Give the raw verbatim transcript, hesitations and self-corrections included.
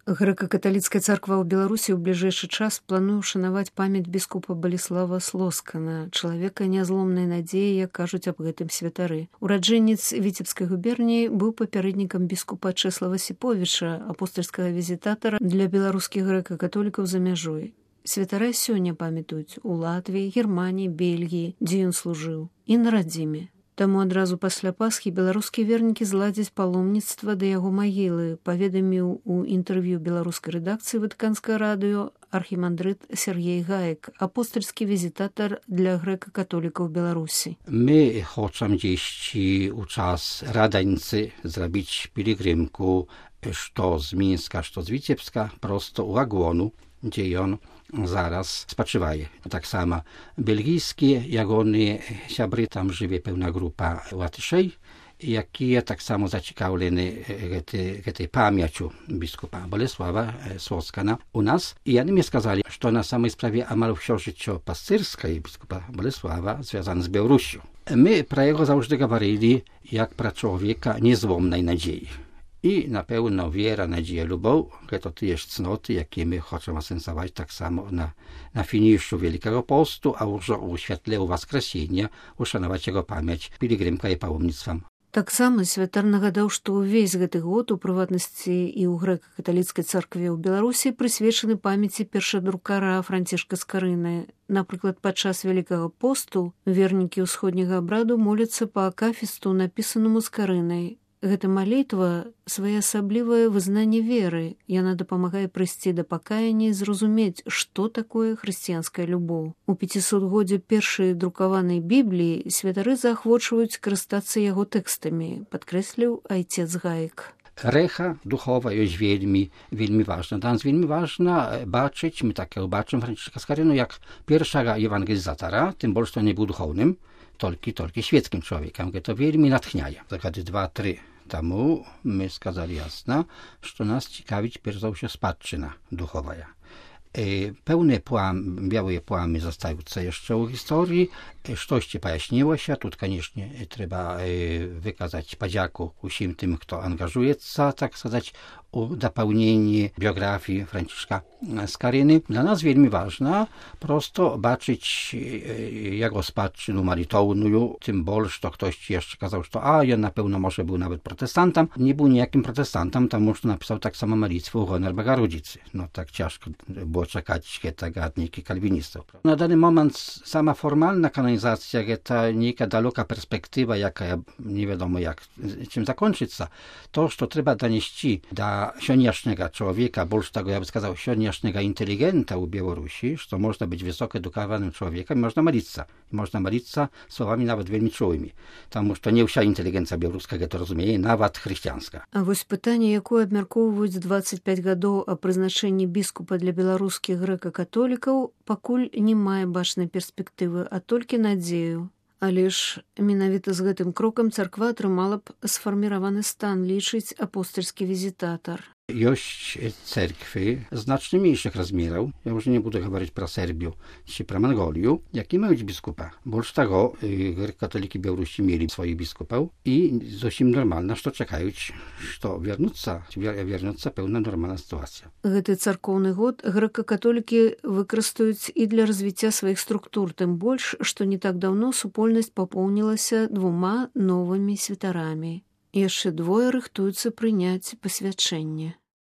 Грэка-каталіцкая царква ў Беларусі ў бліжэйшы час плануе ушанаваць памяць біскупа Баліслава Слоскана, чалавека нязломнай надзеі, як кажуць аб гэтым святары. Ураджэнец Віцебскай губерніі быў папярэднікам біскупа Чэслава Сіповіча, апостальскага візітатара для беларускіх грэка-католікаў за мяжой. Святара сёння памятаюць у Латвіі, Германіі, Бельгіі, дзе ён служыў, і на радзіме. Таму адразу пасля Пасхі беларускія вернікі зладзяць паломніцтва да яго магілы, паведаміў у інтэрв'ю беларускай рэдакцыі Ватыканскае радыё архімандрыт Сергей Гаек, апостальскі візітатар для грэка-католікаў Беларусі. My хочам дзесьці ў час Radańcy zrobić pielgrzymku, што з Мінска, што з Віцебска, prosto u Agłonu, gdzie on zaraz spoczywaje. Tak samo belgijskie, jak one siabry, tam żyje pełna grupa łatyszej, jakie tak samo zaciekawleni tej pamięcią biskupa Bolesława Słoskana u nas. I oni mi skazali, że na samej sprawie amal wsio życie pastyrskie biskupa Bolesława związane z Białorusią. My pra jego zawsze gawarili, jak pra człowieka niezłomnej nadziei. I na pewno wiera, nadzieja, lubow, to te cnoty, jakie my chcemy sensować tak samo na, na finiszu Wielkiego Postu, a już u świetle Воскресения uszanować jego pamięć pielgrzymka i pałomnictwem. Таксама святар нагадаў, што ўвесь гэты год, у прыватнасці і ў грэка-каталіцкай царкве ў Беларусі, прысвечаны памяці першадрукара Францішка Скарыны. Напрыклад, падчас Вялікага посту вернікі ўсходняга абраду моляцца па акафісту, напісанаму Скарынай. Гэта малітва – своеасаблівае вызнанне веры. Яна дапамагае прыйсці да пакаяння і зразумець, што такое хрысціянская любоў. У пяцісотгоддзе першай друкаванай Бібліі святары заахвочваюць карыстацца яго тэкстамі, падкрэсліў айцец Гаек. Recha duchowa jest wielmi, wielmi ważna. Dla nas wielmi ważna baczyć, my tak baczymy Franciszka Skarynu, jak pierwsza ewangelizatora, tym bardziej, że nie był duchownym, tylko, tylko świeckim człowiekiem. To wielmi natchniaje. Zakady dwa, trzy temu my skazali jasno, że nas ciekawić pierwsza spadczyna duchowa. Pełne płam, białe płamy zostające jeszcze u historii, coś ci pojaśniło się, tu koniecznie trzeba wykazać podzięku wszystkim tym, kto angażuje się, tak сказать, u dopełnienie biografii Franciszka Skaryny. Dla nas wielmi ważna, prosto baczyć jego spadczynu malitowną, tym bardziej, że ktoś ci jeszcze kazał, że a, on na pewno może był nawet protestantem. Nie był nijakim protestantem, tam może napisał tak samo malitwę u Honor Bogorodzicy. No tak ciężko było czekać te gadniki kalwinistów. Na dany moment sama formalna kanonizacja to niejaka daleka perspektywa, jaka nie wiadomo jak, czym zakończyć się. To, że trzeba donieść do sioniasznego człowieka, bolż tego ja bym сказał, sioniasznego inteligenta u Białorusi, że można być wysoko edukowanym człowiekiem, można modlić się. Można modlić się słowami nawet wielmi czułymi. Tam to nie wся inteligencja białoruska to rozumie, nawet chrześcijańska. А вось пытанне, якое абмяркоўваюць дваццаць пяць гадоў о прызначэнні біскупа для беларускіх грэка-католікаў, пакуль не мае бачнай перспектывы, а толькі надзею. Але ж менавіта з гэтым крокам царква атрымала б сфарміраваны стан, лічыць апостальскі візітатар. Есть cerkwy znacznie mniejszych rozmiarów, ja już nie będę mówić pro Serbię czy pro Mongolię, jakie mają biskupa. Bo z tego katoliki Białorusi mieli swoich biskupów i dosyć normalne, że czekają, że wiernuться, wiernuться pełna normalna sytuacja. Гэты царкоўны год грэка-католікі выкарыстаюць і для развіцця сваіх структур, тым больш, што не так даўно супольнасць папоўнілася двума новымі святарамі. Яшчэ двое рыхтуюцца прыняць пасвячэнне.